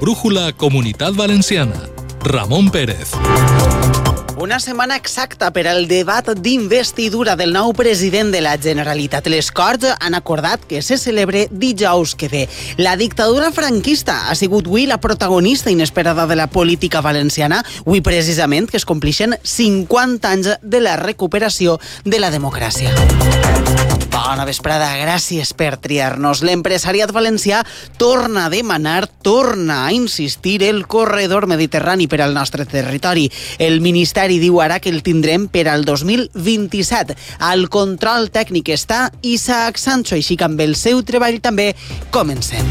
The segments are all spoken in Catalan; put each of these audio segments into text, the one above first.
brújula Comunitat Valenciana. Ramon Pérez. Una setmana exacta per al debat d'investidura del nou president de la Generalitat. Les Corts han acordat que se celebre dijous que ve. La dictadura franquista ha sigut avui la protagonista inesperada de la política valenciana, avui precisament que es complixen 50 anys de la recuperació de la democràcia. Bona vesprada, gràcies per triar-nos. L'empresariat valencià torna a demanar, torna a insistir el corredor mediterrani per al nostre territori. El Ministeri diu ara que el tindrem per al 2027. Al control tècnic està Isaac Sancho, així que amb el seu treball també comencem.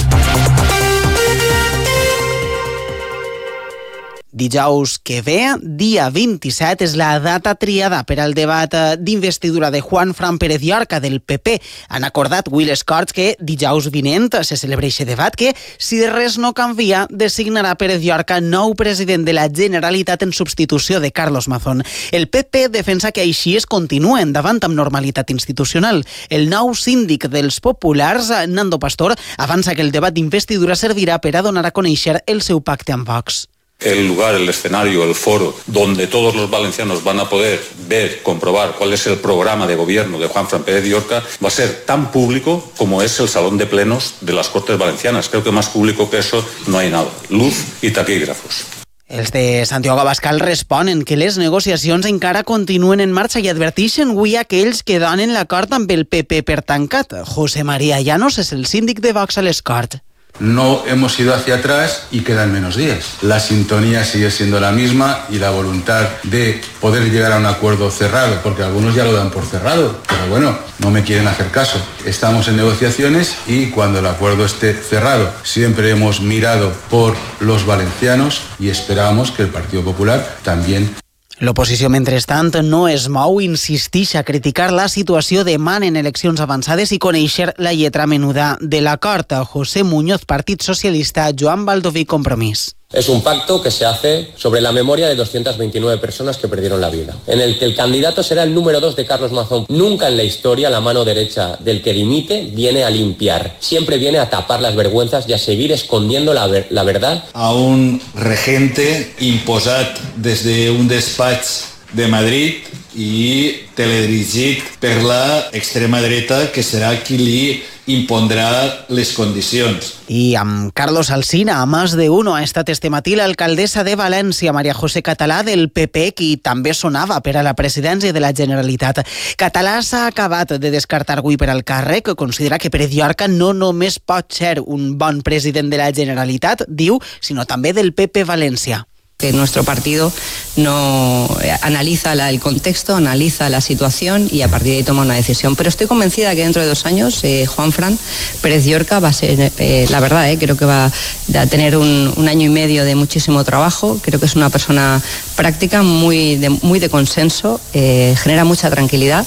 Dijous que ve, dia 27, és la data triada per al debat d'investidura de Juanfran Pérez Llorca del PP. Han acordat avui les Corts que dijous vinent se celebra aquest debat que, si de res no canvia, designarà Pérez Llorca nou president de la Generalitat en substitució de Carlos Mazón. El PP defensa que així es continua endavant amb normalitat institucional. El nou síndic dels populars, Nando Pastor, avança que el debat d'investidura servirà per a donar a conèixer el seu pacte amb Vox. El lugar, el escenario, el foro donde todos los valencianos van a poder ver, comprobar cuál es el programa de gobierno de Juanfran Pérez Llorca va a ser tan público como es el salón de plenos de las Cortes Valencianas. Creo que más público que eso no hay nada. Luz y taquígrafos. Els de Santiago Abascal responen que les negociacions encara continuen en marxa i adverteixen avui aquells que donen l'acord amb el PP per tancat. José María Llanos és el síndic de Vox a les Corts. No hemos ido hacia atrás y quedan menos días. La sintonía sigue siendo la misma y la voluntad de poder llegar a un acuerdo cerrado, porque algunos ya lo dan por cerrado, pero bueno, no me quieren hacer caso. Estamos en negociaciones y cuando el acuerdo esté cerrado, siempre hemos mirado por los valencianos y esperamos que el Partido Popular también. L'oposició, mentrestant, no es mou, insisteix a criticar la situació, demanen eleccions avançades i conèixer la lletra menuda de l'acord. José Muñoz, Partit Socialista, Joan Baldoví, Compromís. Es un pacto que se hace sobre la memoria de 229 personas que perdieron la vida, en el que el candidato será el número 2 de Carlos Mazón. Nunca en la historia la mano derecha del que dimite viene a limpiar, siempre viene a tapar las vergüenzas y a seguir escondiendo la verdad. A un regente imposat des d'un despatx de Madrid i teledirigit per la extrema dreta, que serà qui li impondrà les condicions. I amb Carlos Alsina, a Más de Uno, ha estat este matí l'alcaldessa de València, Maria José Català, del PP, qui també sonava per a la presidència de la Generalitat. Català s'ha acabat de descartar avui per al càrrec, considera que Pérez Llorca no només pot ser un bon president de la Generalitat, diu, sinó també del PP València. Que nuestro partido no analiza el contexto, analiza la situación y a partir de ahí toma una decisión. Pero estoy convencida que dentro de 2 años Juanfran Pérez Llorca va a ser, la verdad, creo que va a tener un año y medio de muchísimo trabajo. Creo que es una persona práctica, muy de consenso, genera mucha tranquilidad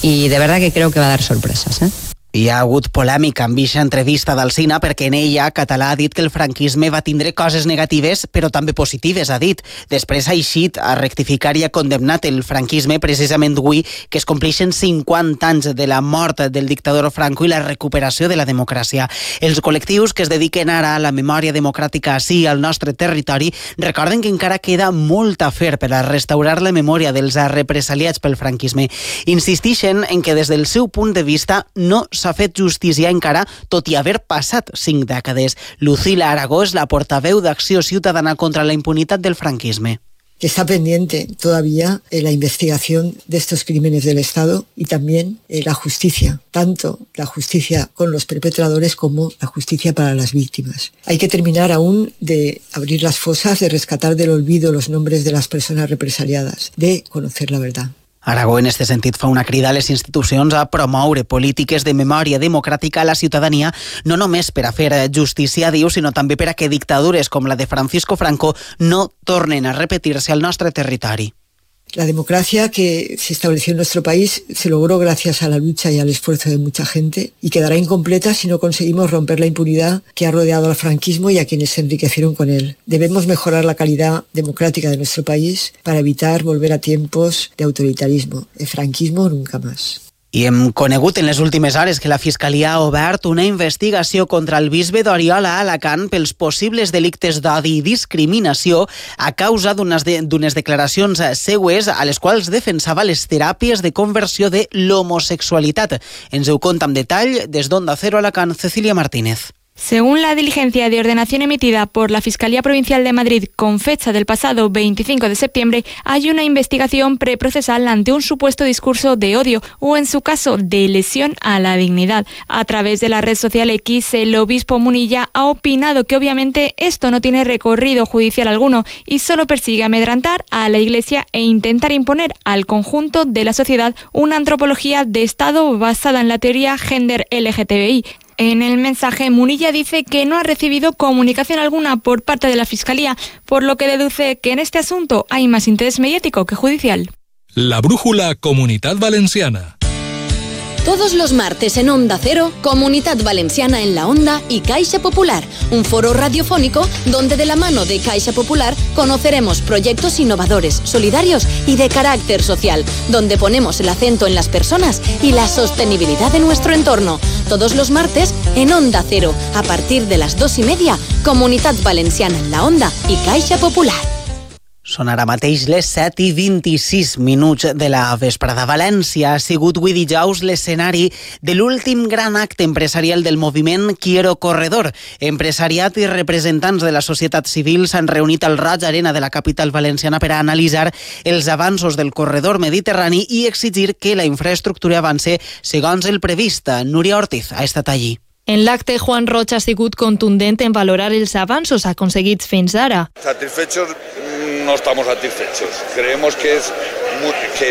y de verdad que creo que va a dar sorpresas. Hi ha hagut polèmica amb aquesta entrevista d'Alsina perquè en ella Català ha dit que el franquisme va tindre coses negatives però també positives, ha dit. Després ha eixit a rectificar i ha condemnat el franquisme precisament avui que es compleixen 50 anys de la mort del dictador Franco i la recuperació de la democràcia. Els col·lectius que es dediquen ara a la memòria democràtica ací al nostre territori recorden que encara queda molt a fer per a restaurar la memòria dels represaliats pel franquisme. Insisteixen en que des del seu punt de vista no s'ha fet justícia encara, tot i haver passat 5 dècades. Lucila Aragó és la portaveu d'Acció Ciutadana contra la impunitat del franquisme. Está pendiente todavía la investigación de estos crímenes del Estado y también la justicia, tanto la justicia con los perpetradores como la justicia para las víctimas. Hay que terminar aún de abrir las fosas, de rescatar del olvido los nombres de las personas represaliadas, de conocer la verdad. Aragó, en este sentit, fa una crida a les institucions a promoure polítiques de memòria democràtica a la ciutadania, no només per a fer justícia, diu, sinó també per a que dictadures com la de Francisco Franco no tornen a repetir-se al nostre territori. La democracia que se estableció en nuestro país se logró gracias a la lucha y al esfuerzo de mucha gente y quedará incompleta si no conseguimos romper la impunidad que ha rodeado al franquismo y a quienes se enriquecieron con él. Debemos mejorar la calidad democrática de nuestro país para evitar volver a tiempos de autoritarismo. El franquismo nunca más. I hem conegut en les últimes hores que la Fiscalia ha obert una investigació contra el bisbe d'Oriola a Alacant pels possibles delictes d'odi i discriminació a causa d'unes declaracions seues a les quals defensava les teràpies de conversió de l'homosexualitat. Ens ho conta amb detall des d'Onda Cero Alacant, Cecilia Martínez. Según la diligencia de ordenación emitida por la Fiscalía Provincial de Madrid con fecha del pasado 25 de septiembre, hay una investigación preprocesal ante un supuesto discurso de odio o, en su caso, de lesión a la dignidad. A través de la red social X, el obispo Munilla ha opinado que obviamente esto no tiene recorrido judicial alguno y solo persigue amedrentar a la Iglesia e intentar imponer al conjunto de la sociedad una antropología de Estado basada en la teoría gender LGTBI. En el mensaje, Munilla dice que no ha recibido comunicación alguna por parte de la Fiscalía, por lo que deduce que en este asunto hay más interés mediático que judicial. La brújula Comunitat Valenciana. Todos los martes en Onda Cero, Comunitat Valenciana en la Onda y Caixa Popular, un foro radiofónico donde de la mano de Caixa Popular conoceremos proyectos innovadores, solidarios y de carácter social, donde ponemos el acento en las personas y la sostenibilidad de nuestro entorno. Todos los martes en Onda Cero, a partir de las 2:30, Comunitat Valenciana en la Onda y Caixa Popular. Són ara mateix les 7:26 de la vesprada. València ha sigut avui dijous l'escenari de l'últim gran acte empresarial del moviment Quiero Corredor. Empresariat i representants de la societat civil s'han reunit al Roig Arena de la capital valenciana per a analitzar els avanços del corredor mediterrani i exigir que la infraestructura avance segons el previst. Núria Ortiz ha estat allí. En l'acte, Juan Roig ha sigut contundent en valorar els avanços aconseguits fins ara. Satisfechos no estamos satisfechos. Creemos que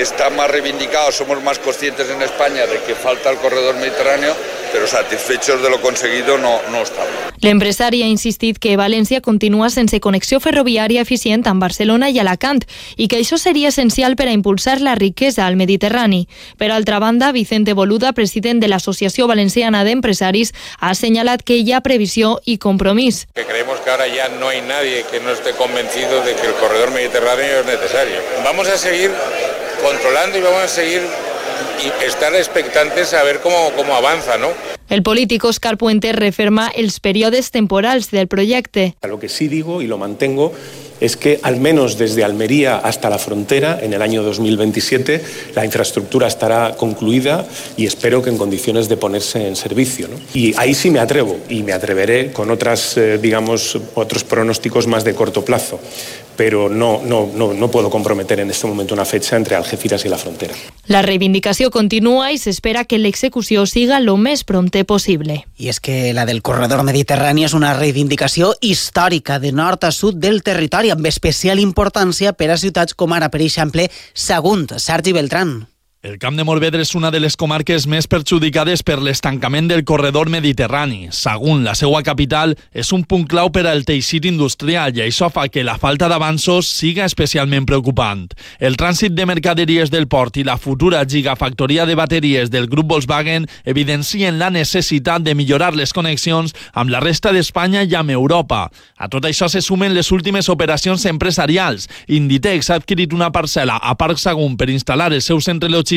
está más reivindicado, somos más conscientes en España de que falta el corredor mediterráneo, pero satisfechos de lo conseguido no estamos. L'empresari ha insistit que València continua sense connexió ferroviària eficient amb Barcelona i Alacant i que això seria essencial per a impulsar la riquesa al Mediterrani. Per altra banda, Vicente Boluda, president de l'Associació Valenciana d'Empresaris, ha assenyalat que hi ha previsió y compromís. Que creemos que ahora ya no hay nadie que no esté convencido de que el corredor mediterráneo es necesario. Vamos a seguir controlando y vamos a seguir y estar expectantes a ver cómo avanza, ¿no? El político Óscar Puente referma els períodes temporals del proyecto. Lo que sí digo y lo mantengo es que al menos desde Almería hasta la frontera, en el año 2027, la infraestructura estará concluida y espero que en condiciones de ponerse en servicio, ¿no? Y ahí sí me atrevo y me atreveré con otros pronósticos más de corto plazo. Pero no puedo comprometer en este momento una fecha entre Algeciras y la frontera. La reivindicació continua i s'espera que l'execució siga lo més prompte possible. I és que la del corredor mediterrani és una reivindicació històrica de nord a sud del territori, amb especial importància per a ciutats com ara, per exemple, Sagunt. Sergi Beltrán. El Camp de Morvedre és una de les comarques més perjudicades per l'estancament del corredor mediterrani. Sagunt, la seva capital, és un punt clau per al teixit industrial i això fa que la falta d'avanços siga especialment preocupant. El trànsit de mercaderies del port i la futura gigafactoria de bateries del grup Volkswagen evidencien la necessitat de millorar les connexions amb la resta d'Espanya i amb Europa. A tot això se sumen les últimes operacions empresarials. Inditex ha adquirit una parcel·la a Parc Sagunt per instal·lar el seu centre logístic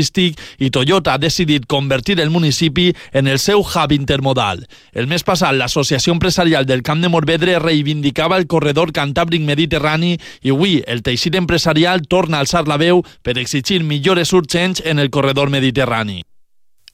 i Toyota ha decidit convertir el municipi en el seu hub intermodal. El mes passat, l'Associació Empresarial del Camp de Morvedre reivindicava el corredor cantàbric mediterrani i avui el teixit empresarial torna a alçar la veu per exigir millores urgents en el corredor mediterrani.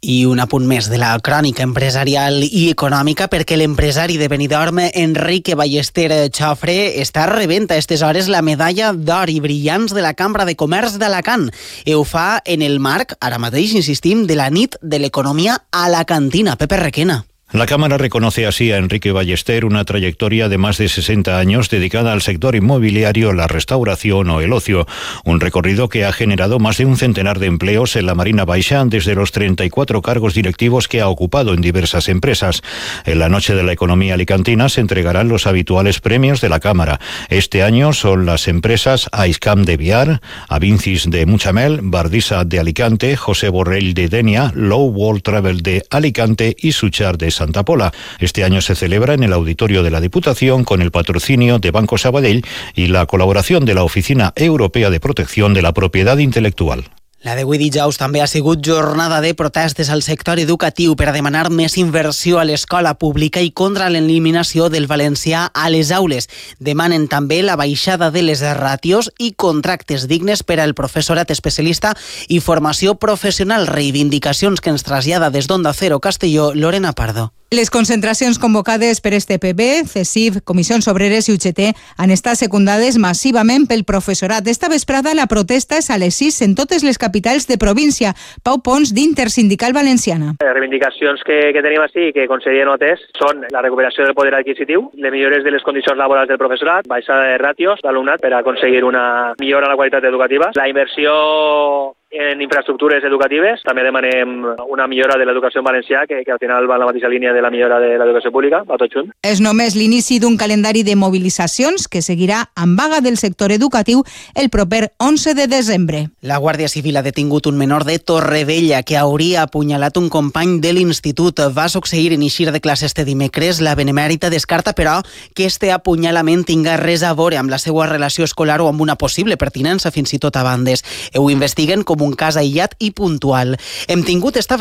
I un apunt més de la crònica empresarial i econòmica, perquè l'empresari de Benidorm, Enrique Ballester Xofre, està rebent a aquestes hores la medalla d'or i brillants de la Cambra de Comerç d'Alacant. I ho fa en el marc, ara mateix insistim, de la nit de l'economia alacantina. Pepe Requena. La Cámara reconoce así a Enrique Ballester una trayectoria de más de 60 años dedicada al sector inmobiliario, la restauración o el ocio. Un recorrido que ha generado más de un centenar de empleos en la Marina Baixa, desde los 34 cargos directivos que ha ocupado en diversas empresas. En la Noche de la Economía Alicantina se entregarán los habituales premios de la Cámara. Este año son las empresas Aiscam de Biar, Avincis de Muchamel, Bardisa de Alicante, José Borrell de Denia, Low World Travel de Alicante y Suchar de Santa Pola. Este año se celebra en el auditorio de la Diputación con el patrocinio de Banco Sabadell y la colaboración de la Oficina Europea de Protección de la Propiedad Intelectual. La d'avui dijous també ha sigut jornada de protestes al sector educatiu per a demanar més inversió a l'escola pública i contra l'eliminació del valencià a les aules. Demanen també la baixada de les ràtios i contractes dignes per al professorat especialista i formació professional, reivindicacions que ens trasllada des d'Onda Cero Castelló, Lorena Pardo. Les concentracions convocades per este PP, CESIF, Comissions Obreres i UGT han estat secundades massivament pel professorat. Esta vesprada la protesta és a les 6 en totes les capitals de província. Pau Pons, d'Intersindical Valenciana. Les reivindicacions que tenim així, que conseller notes, són la recuperació del poder adquisitiu, les millores de les condicions laborals del professorat, baixada de ràtios d'alumnat per aconseguir una millora en la qualitat educativa, la inversió en infraestructures educatives. També demanem una millora de l'educació en valencià, que al final va en la mateixa línia de la millora de l'educació pública, va tot junt. És només l'inici d'un calendari de mobilitzacions que seguirà amb vaga del sector educatiu el proper 11 de desembre. La Guàrdia Civil ha detingut un menor de Torrevella que hauria apunyalat un company de l'institut. Va succeir en eixir de classe este dimecres. La Benemèrita descarta, però, que este apunyalament tinga res a veure amb la seva relació escolar o amb una possible pertinença fins i tot a bandes. Ho investiguen com un cas aïllat i puntual. Hem tingut esta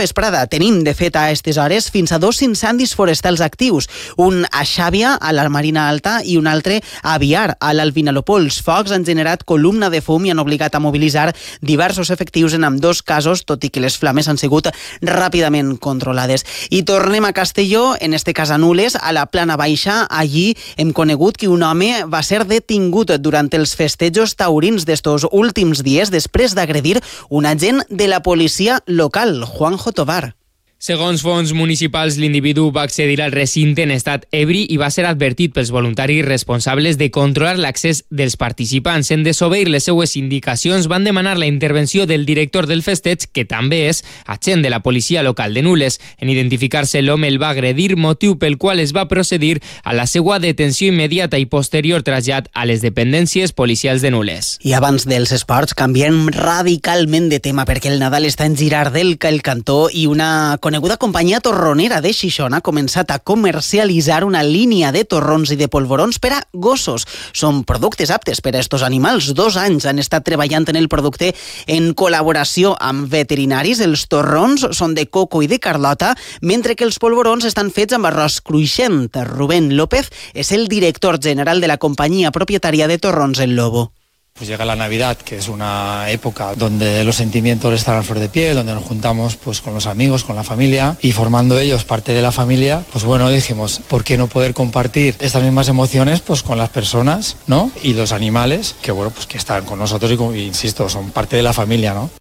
tenim de fet a aquestes hores fins a 2 incendis forestals actius, un a Xàbia, a la Marina Alta, i un altre a Biar, a l'Alvinalopó. Els focs han generat columna de fum i han obligat a mobilitzar diversos efectius en ambdós casos, tot i que les flames han sigut ràpidament controlades. I tornem a Castelló, en este cas a Nules, a la Plana Baixa. Allí hem conegut que un home va ser detingut durant els festejos taurins d'estos últims dies després d'agredir un agent de la policia local, Juanjo Tovar. Segons fonts municipals, l'individu va accedir al recinte en estat ebri i va ser advertit pels voluntaris responsables de controlar l'accés dels participants. En desobeir les seues indicacions, van demanar la intervenció del director del festeig, que també és agent de la policia local de Nules. En identificar-se, l'home el va agredir, motiu pel qual es va procedir a la seva detenció immediata i posterior trasllat a les dependències policials de Nules. I abans dels esports, canviem radicalment de tema, perquè el Nadal està en girar del cantó i una coneguda companyia torronera de Xixona ha començat a comercialitzar una línia de torrons i de polvorons per a gossos. Són productes aptes per a estos animals. 2 anys han estat treballant en el producte en col·laboració amb veterinaris. Els torrons són de coco i de carlota, mentre que els polvorons estan fets amb arròs cruixent. Rubén López és el director general de la companyia propietària de Torrons El Lobo. Pues llega la Navidad, que es una época donde los sentimientos están a flor de piel, donde nos juntamos pues con los amigos, con la familia, y formando ellos parte de la familia, pues bueno, dijimos, ¿por qué no poder compartir estas mismas emociones pues con las personas, ¿no? Y los animales, que bueno, pues que están con nosotros y insisto, son parte de la familia, ¿no?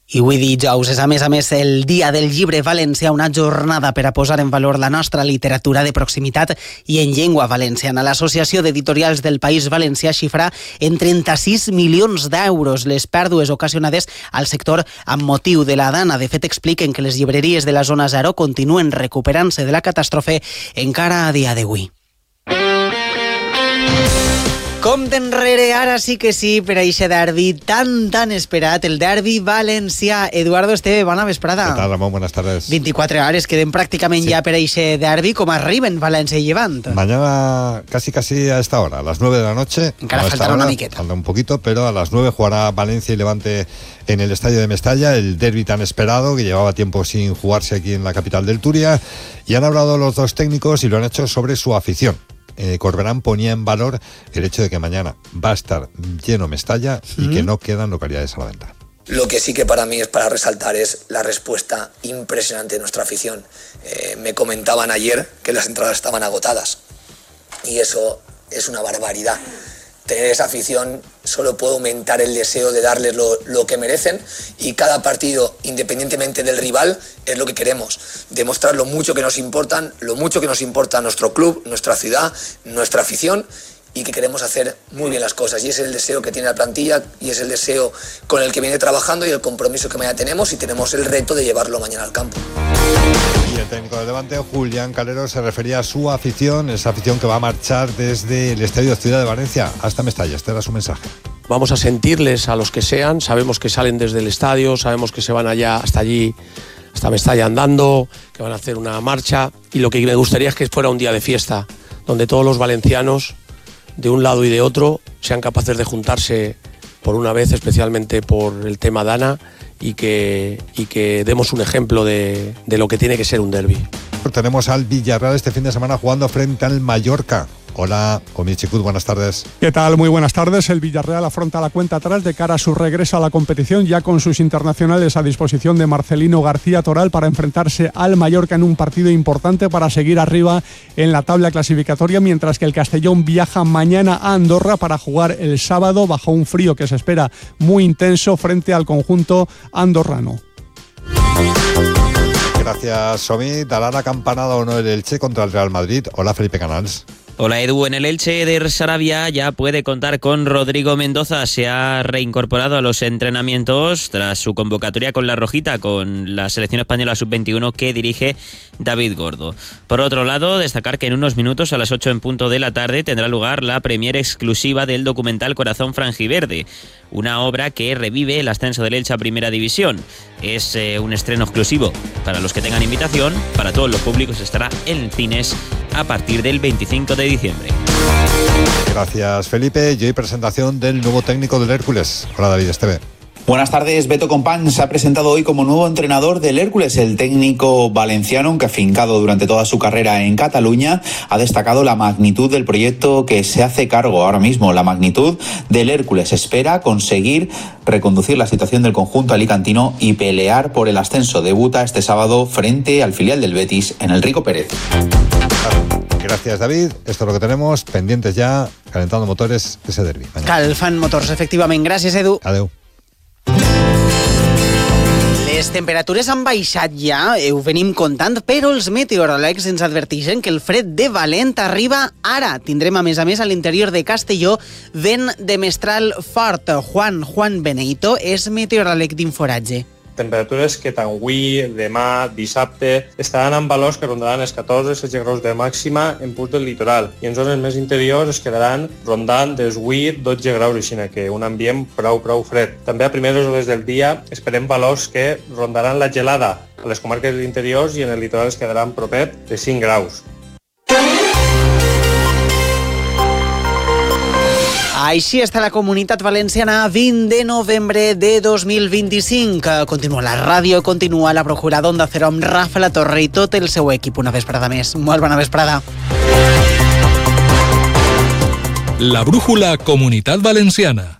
I avui dijous és a més el Dia del Llibre Valencià, una jornada per a posar en valor la nostra literatura de proximitat i en llengua valenciana. L'Associació d'Editorials del País Valencià xifra en 36 milions d'euros les pèrdues ocasionades al sector amb motiu de la Dana. De fet, expliquen que les llibreries de la zona 0 continuen recuperant-se de la catàstrofe encara a dia d'avui. Compte enrere, ara sí que sí, per a eixe derbi tan esperat, el derbi valencià. Eduardo Esteve, bona vesprada. ¿Qué tal, Ramón? Buenas tardes. 24 hores, queden prácticamente ya per a eixe derbi, com arriben València i Llevant. Mañana casi a esta hora, a las 9 de la noche. Encara faltará una miqueta. Falta un poquito, pero a las 9 jugará Valencia y Levante en el estadio de Mestalla, el derbi tan esperado que llevaba tiempo sin jugarse aquí en la capital del Turia, y han hablado los dos técnicos y lo han hecho sobre su afición. Corberán ponía en valor el hecho de que mañana va a estar lleno Mestalla y que no quedan localidades a la venta. Lo que sí que para mí es para resaltar es la respuesta impresionante de nuestra afición. Me comentaban ayer que las entradas estaban agotadas y eso es una barbaridad. Tener esa afición solo puede aumentar el deseo de darles lo que merecen, y cada partido, independientemente del rival, es lo que queremos. Demostrar lo mucho que nos importan, lo mucho que nos importa nuestro club, nuestra ciudad, nuestra afición, y que queremos hacer muy bien las cosas. Y ese es el deseo que tiene la plantilla y es el deseo con el que viene trabajando y el compromiso que mañana tenemos, y tenemos el reto de llevarlo mañana al campo. Y el técnico del Levante, Julián Calero, se refería a su afición, esa afición que va a marchar desde el Estadio Ciudad de Valencia hasta Mestalla. Este era su mensaje. Vamos a sentirles a los que sean, sabemos que salen desde el estadio, sabemos que se van allá hasta allí, hasta Mestalla andando, que van a hacer una marcha, y lo que me gustaría es que fuera un día de fiesta, donde todos los valencianos, de un lado y de otro, sean capaces de juntarse por una vez, especialmente por el tema Dana, y que demos un ejemplo de lo que tiene que ser un derbi. Tenemos al Villarreal este fin de semana jugando frente al Mallorca. Hola, Comichicud, buenas tardes. ¿Qué tal? Muy buenas tardes. El Villarreal afronta la cuenta atrás de cara a su regreso a la competición, ya con sus internacionales a disposición de Marcelino García Toral para enfrentarse al Mallorca en un partido importante para seguir arriba en la tabla clasificatoria, mientras que el Castellón viaja mañana a Andorra para jugar el sábado bajo un frío que se espera muy intenso frente al conjunto andorrano. Gracias, Somi. ¿Dará la campanada o no el Elche contra el Real Madrid? Hola, Felipe Canals. Hola Edu, en el Elche de Sarabia ya puede contar con Rodrigo Mendoza. Se ha reincorporado a los entrenamientos tras su convocatoria con la Rojita, con la selección española sub-21 que dirige David Gordo. Por otro lado, destacar que en unos minutos, a las 8 en punto de la tarde, tendrá lugar la premiere exclusiva del documental Corazón Franjiverde, una obra que revive el ascenso del Elche a Primera División. Es un estreno exclusivo para los que tengan invitación. Para todos los públicos estará en cines a partir del 25 de diciembre. Gracias, Felipe. Y hoy presentación del nuevo técnico del Hércules. Hola, David Esteve. Buenas tardes. Beto Compán se ha presentado hoy como nuevo entrenador del Hércules. El técnico valenciano, aunque afincado durante toda su carrera en Cataluña, ha destacado la magnitud del proyecto que se hace cargo ahora mismo. La magnitud del Hércules. Espera conseguir reconducir la situación del conjunto alicantino y pelear por el ascenso. Debuta este sábado frente al filial del Betis en el Rico Pérez. Gracias, David. Esto es lo que tenemos. Pendientes ya, calentando motores, ese derbi. Calfant motors, efectivament. Gràcies, Edu. Adeu. Les temperatures han baixat ja, ho venim contant, però els meteoròlegs ens adverteixen que el fred de valent arriba ara. Tindrem, a més, a l'interior de Castelló vent de mestral fort. Juan Beneito és meteoròleg d'Inforatge. Temperatures que tant avui, demà, dissabte, estaran en valors que rondaran els 14-16 graus de màxima en punts del litoral i en zones més interiors es quedaran rondant dels 8-12 graus, així que un ambient prou fred. També a primeres hores del dia esperem valors que rondaran la gelada a les comarques interiors i en el litoral es quedaran propet de 5 graus. Així està la Comunitat Valenciana 20 de novembre de 2025. Continua la ràdio, continua la Procura d'Onda Cero amb Rafa La Torre i tot el seu equip. Una vesprada més. Molt bona vesprada. La brújula Comunitat Valenciana.